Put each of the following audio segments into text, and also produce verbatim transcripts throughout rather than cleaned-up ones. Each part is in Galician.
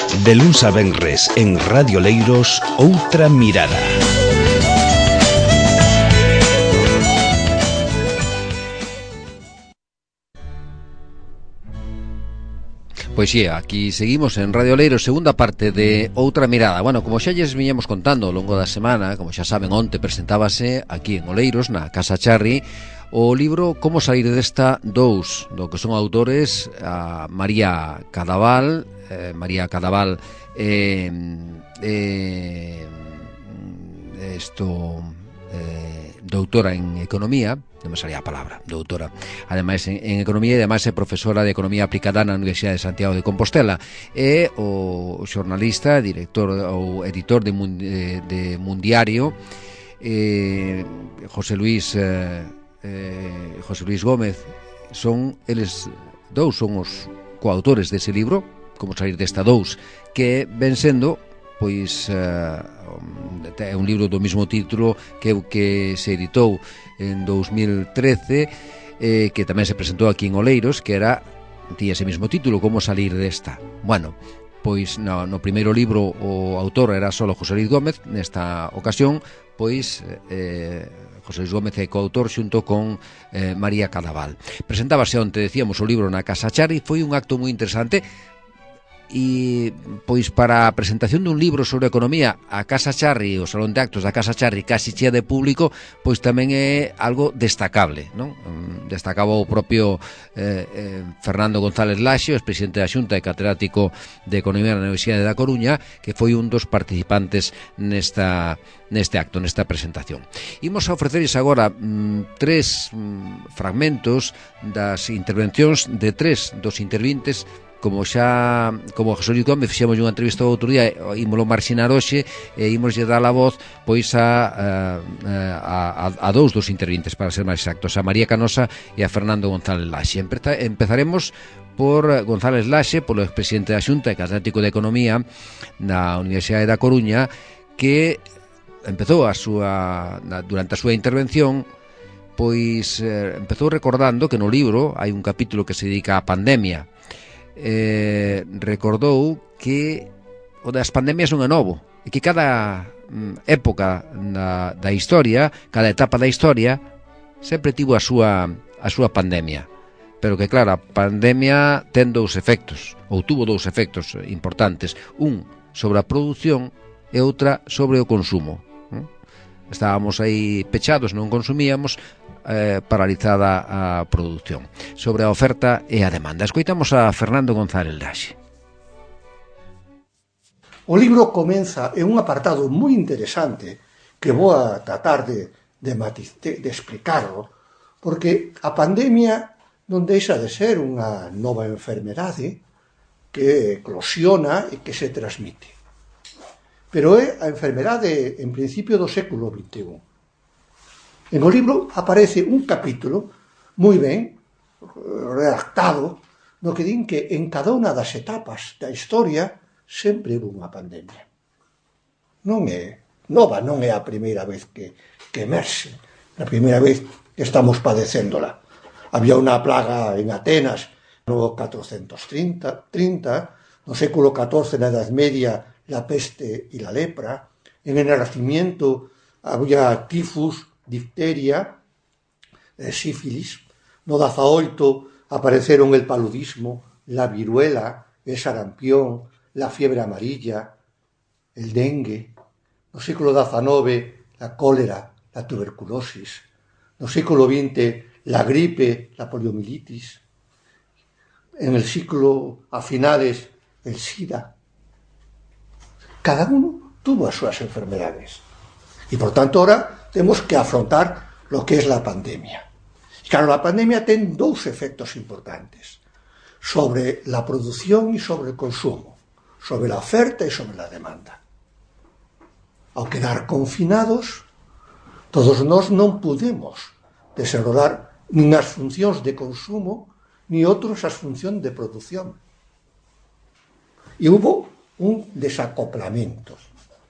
De luns a venres en Radio Leiros, Outra Mirada. Pois xe, aquí seguimos en Radio Leiros, segunda parte de Outra Mirada. Bueno, como xa lles viñamos contando ao longo da semana, como xa saben, onte presentábase aquí en Oleiros, na Casa Charri, o libro Como salir desta dous, do que son autores a María Cadaval, eh, María Cadaval, eh, eh, esto... Eh, doutora en Economía, non me salía a palabra, doutora, ademais en, en Economía, e ademais é profesora de Economía aplicada na Universidade de Santiago de Compostela, e o xornalista, director ou editor de, de, de Mundiario, eh, José Luis eh, eh, José Luis Gómez. Son eles dous, son os coautores dese libro, Como salir desta dous, que ven sendo pois uh, é un libro do mesmo título que o que se editou en dous mil trece, eh, que tamén se presentou aquí en Oleiros, que era, tía ese mesmo título, Como salir desta. Bueno, pois no, no primeiro libro o autor era solo José Luis Gómez. Nesta ocasión, pois eh, José Luis Gómez é coautor xunto con eh, María Cadaval. Presentábase onte, decíamos, o libro na Casa Charri. Foi un acto moi interesante. E pois para a presentación dun libro sobre economía, a Casa Charri, o Salón de Actos da Casa Charri casi chea de público, pois tamén é algo destacable, non? Destacaba o propio eh, eh, Fernando González Laxe, o presidente da Xunta e catedrático de Economía na Universidade da Coruña, que foi un dos participantes nesta neste acto, nesta presentación. Imos a ofrecerles agora mm, tres mm, fragmentos das intervencións de tres dos intervintes. Como xa, como José Luis Gómez fixemos unha entrevista outro día, ímolo marxinar hoxe e ímoslle dar a voz pois a, a, a, a dous dos intervintes, para ser máis exactos, a María Canosa e a Fernando González Laxe. Empezaremos por González Laxe, polo expresidente da Xunta e catedrático de Economía na Universidade da Coruña, que empezou a súa, durante a súa intervención, pois eh, empezou recordando que no libro hai un capítulo que se dedica á pandemia. Eh, recordou que o das pandemias non é novo e que cada mm, época na, da historia, cada etapa da historia sempre tivo a súa, a súa pandemia, pero que claro, a pandemia ten dous efectos, ou tuvo dous efectos importantes, un sobre a produción e outra sobre o consumo. Estábamos aí pechados, non consumíamos, eh, paralizada a produción. Sobre a oferta e a demanda. Escoitamos a Fernando González Laxe. O libro comeza en un apartado moi interesante que vou a tratar de, de, matiz, de, de explicarlo, porque a pandemia non deixa de ser unha nova enfermedade que eclosiona e que se transmite. Pero é a enfermedade en principio do século vinte e un. En o libro aparece un capítulo moi ben redactado no que din que en cada unha das etapas da historia sempre houve unha pandemia. Non é nova, non é a primeira vez que, que emerxe, a primeira vez que estamos padecéndola. Había unha plaga en Atenas no catrocentos trinta, no século catorce, na Edad Media, la peste y la lepra. En el Renacimiento había tifus, difteria, eh, sífilis. No dezaoito apareceron el paludismo, la viruela, el sarampión, la fiebre amarilla, el dengue. No século diecinueve, la cólera, la tuberculosis. No século veinte, la gripe, la poliomielitis. En el siglo a finales, el SIDA. Cada uno tuvo as súas enfermedades. E, por tanto, ahora temos que afrontar lo que es la pandemia. Y claro, la pandemia ten dous efectos importantes sobre la producción y sobre el consumo, sobre la oferta y sobre la demanda. Ao quedar confinados, todos nós non pudemos desarrollar nin as funcións de consumo ni outros as funcións de produción. E hubo un desacoplamiento,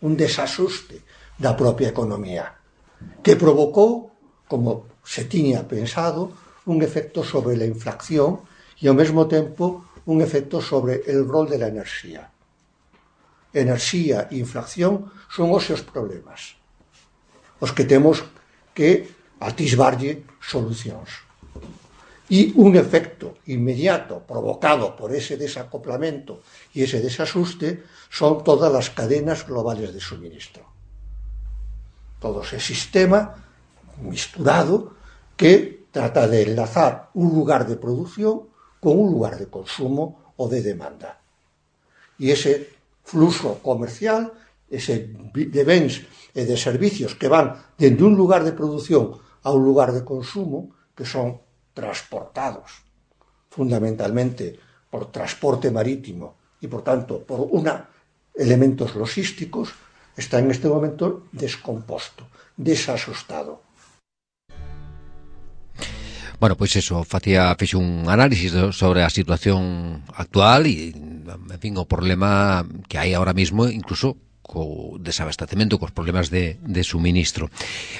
un desajuste da propia economía, que provocou, como se tiña pensado, un efecto sobre la inflación e ao mesmo tempo un efecto sobre el rol de la enerxía. enerxía e inflación son os seus problemas, os que temos que atisbarlle solucións. E un efecto inmediato provocado por ese desacoplamiento e ese desasuste son todas as cadenas globales de suministro. Todo ese sistema misturado que trata de enlazar un lugar de producción con un lugar de consumo o de demanda. E ese fluxo comercial, ese de bens e de servicios que van dende un lugar de producción a un lugar de consumo, que son transportados fundamentalmente por transporte marítimo y por tanto por una, elementos logísticos, está en este momento descomposto, desasustado. Bueno, pois eso, facía fixo un análisis sobre a situación actual e, en fin, o problema que hai ahora mismo, incluso co desabastecemento, cos problemas de, de suministro.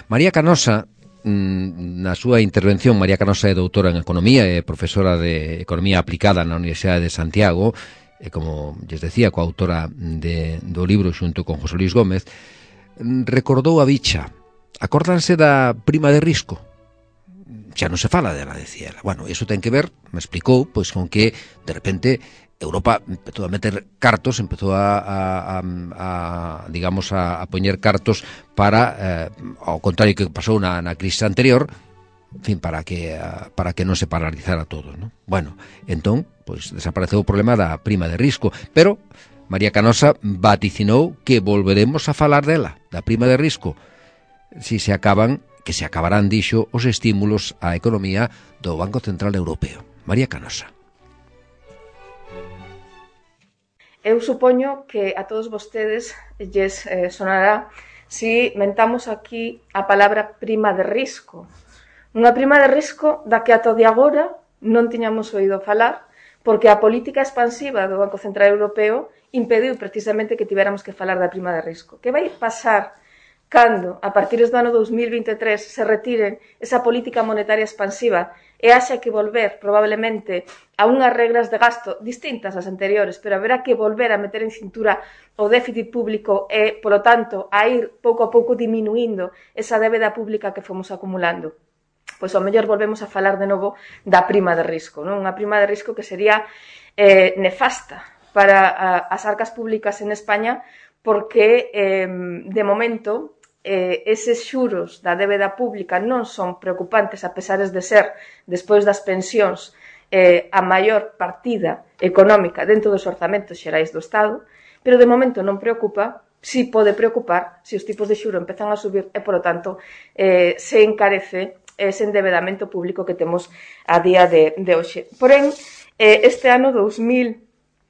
María Canosa, na súa intervención, María Canosa é doutora en Economía e profesora de Economía Aplicada na Universidade de Santiago, e como lles decía, coautora de, do libro xunto con José Luis Gómez, recordou a bicha. Acórdanse da prima de risco? Xa non se fala dela, decía ela. Bueno, iso ten que ver, me explicou, pois con que, de repente, Europa empezou a meter cartos, empezou a, a, a, a digamos, a, a poñer cartos para, eh, ao contrario que pasou na, na crise anterior, en fin, para que, para que non se paralizara todo, ¿no? Bueno, entón, pois desapareceu o problema da prima de risco, pero María Canosa vaticinou que volveremos a falar dela, da prima de risco, si se acaban, que se acabarán, dixo, os estímulos á economía do Banco Central Europeo. María Canosa. Eu supoño que a todos vostedes lles eh, sonará si mentamos aquí a palabra prima de risco. Unha prima de risco da que ata de agora non tiñamos oído falar, porque a política expansiva do Banco Central Europeo impediu precisamente que tivéramos que falar da prima de risco. Que vai pasar cando, a partir do ano dos mil vinte e tres, se retiren esa política monetaria expansiva e haxa que volver, probablemente, a unhas regras de gasto distintas ás anteriores, pero haberá que volver a meter en cintura o déficit público e, polo tanto, a ir pouco a pouco diminuindo esa débeda pública que fomos acumulando. Pois ao mellor volvemos a falar de novo da prima de risco, non? Unha prima de risco que sería eh, nefasta para a, as arcas públicas en España, porque, eh, de momento, eh, eses xuros da débeda pública non son preocupantes, a pesares de ser, despois das pensións, eh, a maior partida económica dentro dos orzamentos xerais do Estado, pero de momento non preocupa, si pode preocupar se os tipos de xuro empezan a subir e, polo tanto, eh, se encarece ese endebedamento público que temos a día de, de hoxe. Porén, eh, este ano dos mil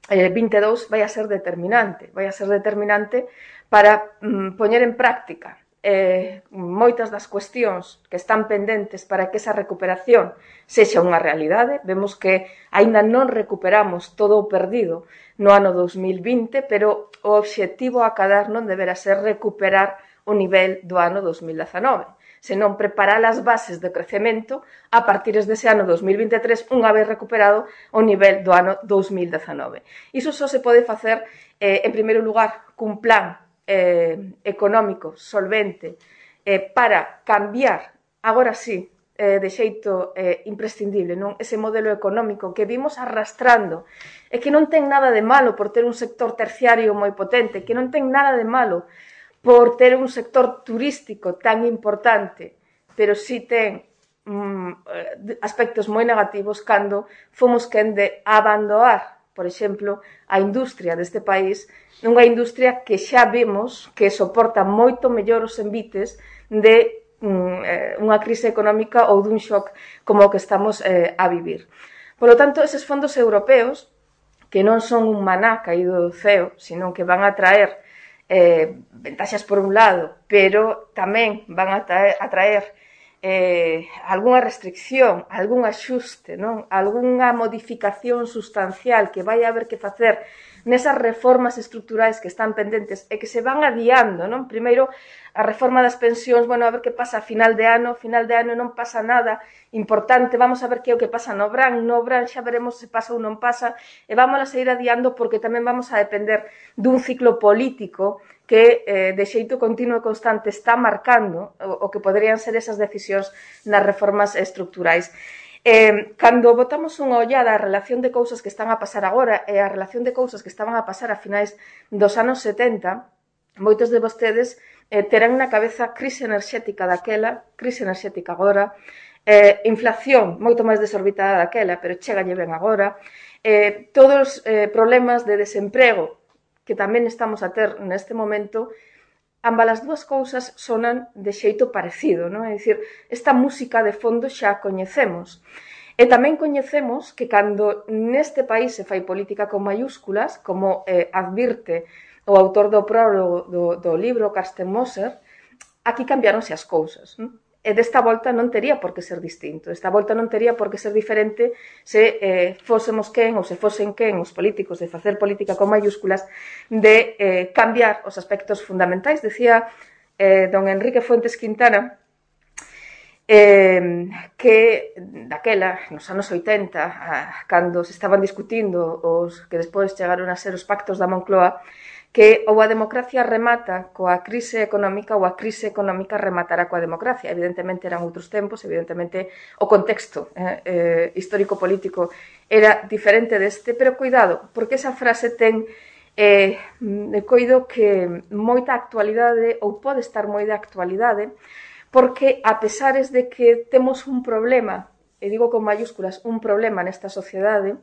vinte e dous vai a ser determinante, vai a ser determinante para mm, poñer en práctica eh, moitas das cuestións que están pendentes para que esa recuperación sexa unha realidade. Vemos que aínda non recuperamos todo o perdido no ano dos mil vinte, pero o obxectivo a acadar non deberá ser recuperar o nivel do ano dos mil dezanove, senón preparar as bases de crecemento a partir dese ano dos mil vinte e tres, unha vez recuperado o nivel do ano dos mil dezanove. Iso só se pode facer, eh, en primeiro lugar, cun plan eh, económico solvente eh, para cambiar, agora sí, eh, de xeito eh, imprescindible, non? Ese modelo económico que vimos arrastrando e que non ten nada de malo por ter un sector terciario moi potente, que non ten nada de malo por ter un sector turístico tan importante, pero sí ten mm, aspectos moi negativos cando fomos quen de abandonar, por exemplo, a industria deste país, unha industria que xa vemos que soporta moito mellor os envites de mm, unha crise económica ou dun shock como o que estamos eh, a vivir. Por lo tanto, eses fondos europeos, que non son un maná caído do ceo, sino que van a traer Eh, ventaxas por un lado, pero tamén van a traer, a traer eh, algunha restricción, algún axuste, non? Algunha modificación sustancial que vai haber que facer nesas reformas estruturais que están pendentes e que se van adiando, non? Primeiro, a reforma das pensións, bueno, a ver que pasa a final de ano, final de ano non pasa nada importante, vamos a ver que é o que pasa no Bran, no Bran xa veremos se pasa ou non pasa, e vamos a seguir adiando porque tamén vamos a depender dun ciclo político que eh, de xeito continuo e constante está marcando o, o que poderían ser esas decisións nas reformas estructurais. Eh, cando botamos unha ollada á relación de cousas que están a pasar agora e a relación de cousas que estaban a pasar a finais dos anos setenta, moitos de vostedes eh, terán na cabeza crise enerxética daquela, crise enerxética agora, eh, inflación moito máis desorbitada daquela, pero chegalle ben agora, eh, todos os eh, problemas de desemprego que tamén estamos a ter neste momento, ambas as dúas cousas sonan de xeito parecido, non? É dicir, esta música de fondo xa a coñecemos. E tamén coñecemos que cando neste país se fai política con mayúsculas, como eh, advirte o autor do prólogo do, do libro, Carsten Moser, aquí cambiáronse as cousas. Non? E desta volta non tería por que ser distinto. Esta volta non tería por que ser diferente se eh, fósemos quen ou se fosen quen os políticos de facer política con mayúsculas de eh, cambiar os aspectos fundamentais. Decía eh, don Enrique Fuentes Quintana eh, que daquela, nos anos oitenta, ah, cando se estaban discutindo os que despois chegaron a ser os pactos da Moncloa, que ou a democracia remata coa crise económica ou a crise económica rematará coa democracia. Evidentemente eran outros tempos, evidentemente o contexto eh, eh, histórico-político era diferente deste, pero cuidado, porque esa frase ten eh, coido que moita actualidade ou pode estar moi de actualidade, porque a pesares de que temos un problema, e digo con mayúsculas, un problema nesta sociedade,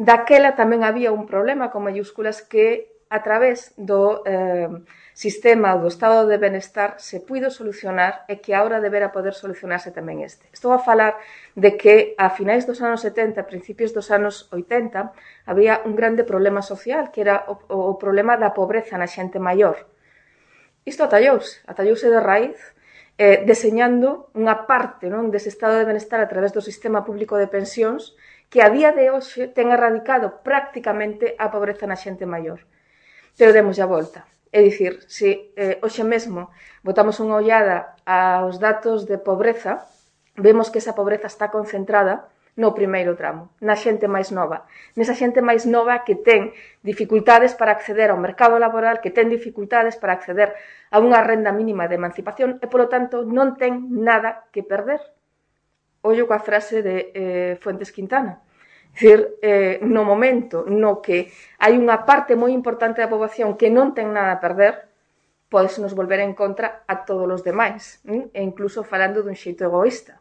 daquela tamén había un problema con mayúsculas que a través do eh, sistema do estado de benestar se puido solucionar e que agora debera poder solucionarse tamén este. Estou a falar de que a finais dos anos setenta, a principios dos anos oitenta, había un grande problema social, que era o, o problema da pobreza na xente maior. Isto atallouse, atallouse de raíz, eh, deseñando unha parte non, dese estado de benestar a través do sistema público de pensións que a día de hoxe ten erradicado prácticamente a pobreza na xente maior. Pero demos a volta. É dicir, se eh, hoxe mesmo botamos unha ollada aos datos de pobreza, vemos que esa pobreza está concentrada no primeiro tramo, na xente máis nova. Nesa xente máis nova que ten dificultades para acceder ao mercado laboral, que ten dificultades para acceder a unha renda mínima de emancipación e, polo tanto, non ten nada que perder. Ollo coa frase de eh, Fuentes Quintana. É dicir, eh, no momento no que hai unha parte moi importante da poboación que non ten nada a perder, podes nos volver en contra a todos os demais, ¿eh? E incluso falando dun xeito egoísta.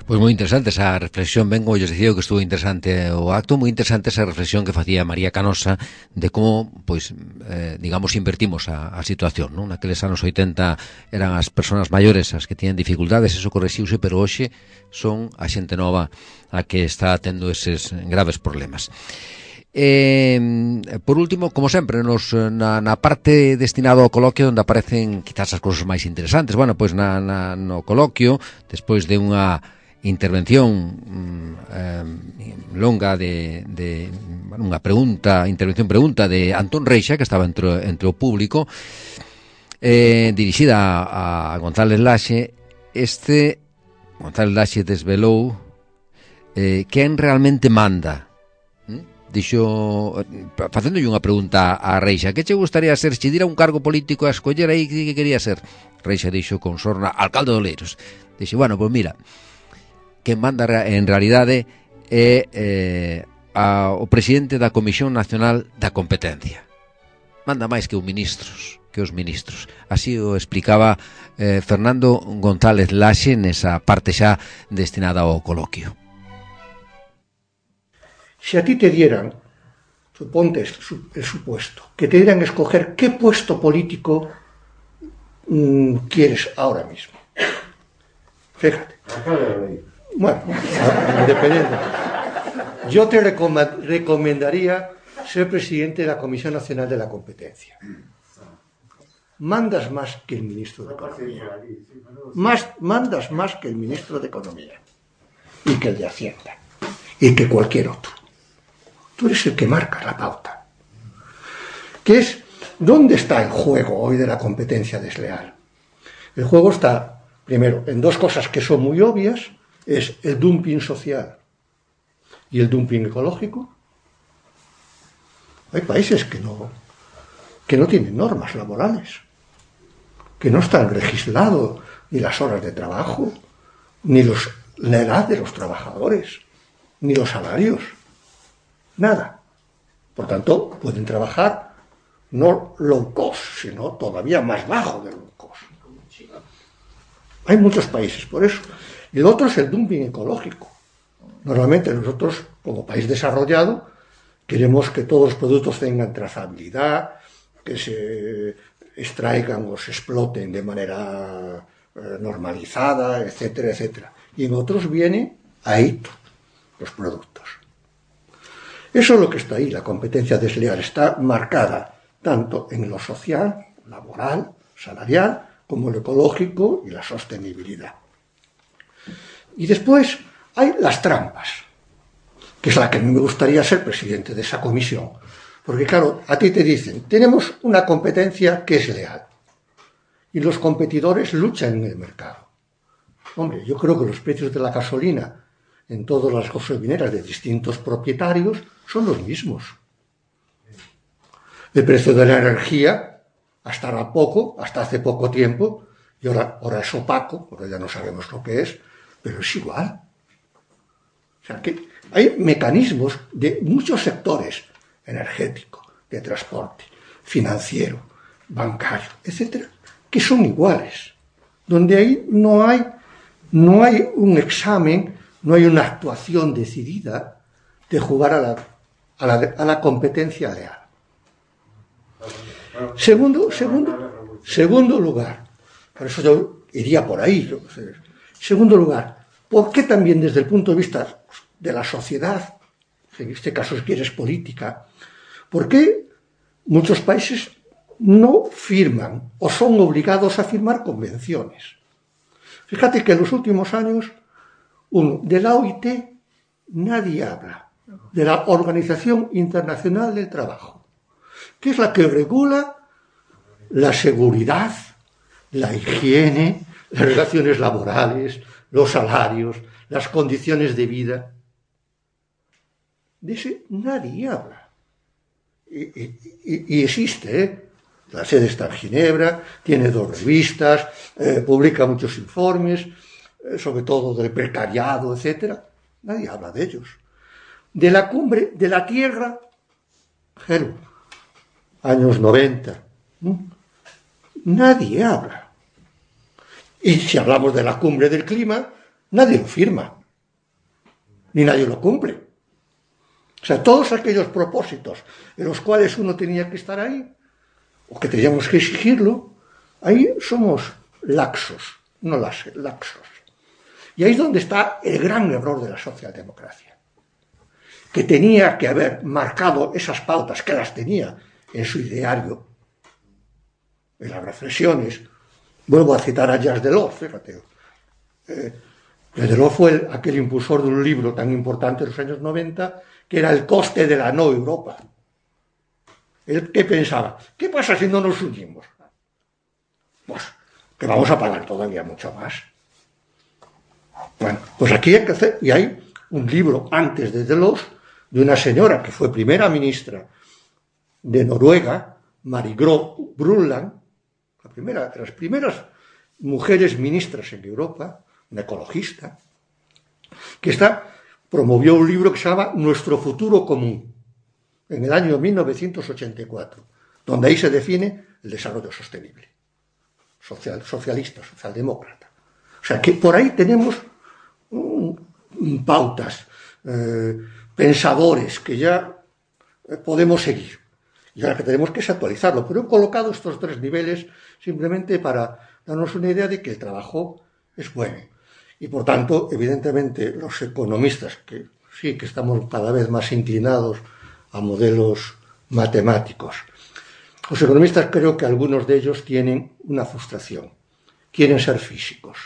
Pois moi interesante esa reflexión, ben, como lles dicía que estuvo interesante o acto, moi interesante esa reflexión que facía María Canosa de como, pois, eh, digamos, invertimos a, a situación, non? Naqueles anos oitenta eran as persoas maiores as que tiñan dificultades, eso correxiuse, pero hoxe son a xente nova a que está tendo eses graves problemas. Eh, por último, como sempre, nos, na, na parte destinada ao coloquio onde aparecen quizás as cousas máis interesantes, bueno, pois na, na, no coloquio, despois de unha intervención eh, longa de, de bueno, unha pregunta, intervención pregunta de Antón Reixa, que estaba entre, entre o público, eh, dirixida a, a González Laxe. Este González Laxe desvelou eh, quen realmente manda. ¿Mm? Dixo, facéndolle unha pregunta a Reixa, que che gustaría ser se dira un cargo político a escoller aí que quería ser? Reixa dixo con sorna, alcalde de Oleiros. Dixo, bueno, pois mira, quen manda en realidade é eh, a, o presidente da Comisión Nacional da Competencia. Manda máis que os ministros, que os ministros. Así o explicaba eh, Fernando González Laxe nesa parte xa destinada ao coloquio. Se a ti te dieran, suponte el supuesto, que te dieran escoger qué puesto político mmm, quieres ahora mismo. Fíjate. Bueno, independiente. Yo te recomendaría ser presidente de la Comisión Nacional de la Competencia. Mandas más que el ministro de Economía. Más, mandas más que el ministro de Economía. Y que el de Hacienda. Y que cualquier otro. Tú eres el que marca la pauta. Que es ¿Dónde está el juego hoy de la competencia desleal? El juego está, primero, en dos cosas que son muy obvias, es el dumping social y el dumping ecológico. Hay países que no, que no tienen normas laborales, que no están legislados ni las horas de trabajo, ni los, la edad de los trabajadores, ni los salarios, nada. Por tanto, pueden trabajar no low cost, sino todavía más bajo de low cost. Hay muchos países por eso. Y el otro es el dumping ecológico. Normalmente nosotros, como país desarrollado, queremos que todos los productos tengan trazabilidad, que se extraigan o se exploten de manera eh, normalizada, etcétera, etcétera. Y en otros viene ahí los productos. Eso es lo que está ahí. La competencia desleal está marcada tanto en lo social, laboral, salarial, como en lo ecológico y la sostenibilidad. Y después hay las trampas, que es la que a mí me gustaría ser presidente de esa comisión. Porque claro, a ti te dicen, tenemos una competencia que es leal y los competidores luchan en el mercado. Hombre, yo creo que los precios de la gasolina en todas las gasolineras de distintos propietarios son los mismos. El precio de la energía, hasta ahora poco, hasta hace poco tiempo, y ahora, ahora es opaco, ahora ya no sabemos lo que es, pero es igual. O sea que hay mecanismos de muchos sectores, energético, de transporte, financiero, bancario, etcétera, que son iguales, donde ahí no hay, no hay un examen, no hay una actuación decidida de jugar a la, a la, a la competencia leal. Segundo, segundo, segundo lugar, por eso yo iría por ahí. Yo, segundo lugar, ¿por qué también desde el punto de vista de la sociedad, en este caso si quieres política, por qué muchos países no firman o son obligados a firmar convenciones? Fíjate que en los últimos años, uno, de la O I T nadie habla, de la Organización Internacional del Trabajo, que es la que regula la seguridad, la higiene, las relaciones laborales, los salarios, las condiciones de vida. De ese nadie habla. Y, y, y existe, ¿eh? La sede está en Ginebra, tiene dos revistas, eh, publica muchos informes, eh, sobre todo del precariado, etcétera. Nadie habla de ellos. De la cumbre de la Tierra, Gero, años noventa, ¿no? Nadie habla. Y si hablamos de la cumbre del clima, nadie lo firma, ni nadie lo cumple. O sea, todos aquellos propósitos en los cuales uno tenía que estar ahí, o que teníamos que exigirlo, ahí somos laxos, no laxos. Y ahí es donde está el gran error de la socialdemocracia, que tenía que haber marcado esas pautas, que las tenía en su ideario, en las reflexiones. Vuelvo a citar a Jacques Delors, fíjate. Eh, Delors fue el, aquel impulsor de un libro tan importante en los años noventa, que era El coste de la no Europa. Él, ¿qué pensaba? ¿Qué pasa si no nos unimos? Pues que vamos a pagar todavía mucho más. Bueno, pues aquí hay que hacer, y hay un libro antes de Delors, de una señora que fue primera ministra de Noruega, Marie Gro Brundtland, la primera, de las primeras mujeres ministras en Europa, una ecologista, que está, promovió un libro que se llama Nuestro futuro común, en el año mil novecientos ochenta y cuatro, donde ahí se define el desarrollo sostenible, social, socialista, socialdemócrata. O sea que por ahí tenemos um, pautas, eh, pensadores que ya eh, podemos seguir. Y ahora que tenemos que es actualizarlo. Pero he colocado estos tres niveles simplemente para darnos una idea de que el trabajo es bueno. Y por tanto, evidentemente, los economistas, que sí que estamos cada vez más inclinados a modelos matemáticos, los economistas creo que algunos de ellos tienen una frustración. Quieren ser físicos.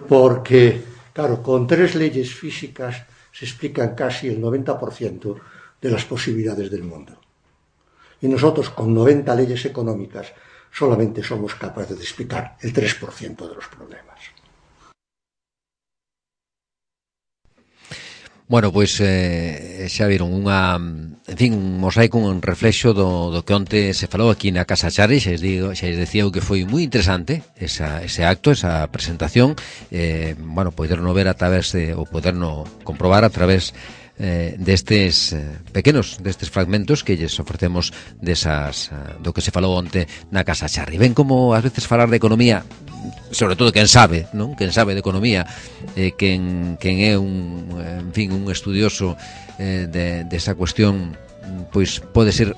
Porque, claro, con tres leyes físicas se explican casi el noventa por ciento de las posibilidades del mundo. Y nosotros, con noventa leyes económicas, solamente somos capaces de explicar el tres por ciento de los problemas. Bueno, pois eh, xa viron unha, en fin, un mosaico, un reflexo do, do que onte se falou aquí na Casa Charri. Xa digo, xa decía que foi moi interesante esa, ese acto, esa presentación. Eh, bueno, poderno ver a través de, ou poderno comprobar a través eh, destes eh, pequenos, destes fragmentos que lles ofrecemos desas, eh, do que se falou onte na Casa Charri. Ven como ás veces falar de economía, sobre todo quen sabe, non? Quen sabe de economía, eh, quen, quen é un, en fin, un estudioso eh, de, de esa cuestión, pois pode ser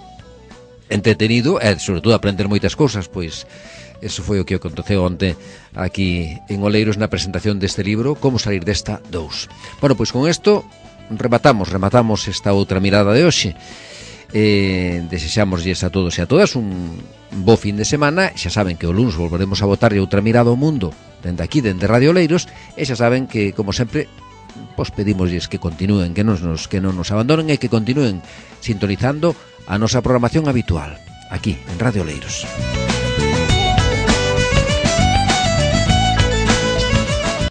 entretenido e sobre todo aprender moitas cousas. Pois eso foi o que aconteceu onte aquí en Oleiros na presentación deste libro, Como salir desta dous. Bueno, pois con isto rematamos, rematamos esta outra mirada de hoxe. Eh, desexámoslles a todos e a todas un bo fin de semana. Xa saben que o luns volveremos a botarlle outra mirada ao mundo dende aquí, dende Radio Oleiros, e xa saben que, como sempre, pois pedimosles que continúen, que non nos, que non nos abandonen e que continúen sintonizando a nosa programación habitual aquí en Radio Oleiros.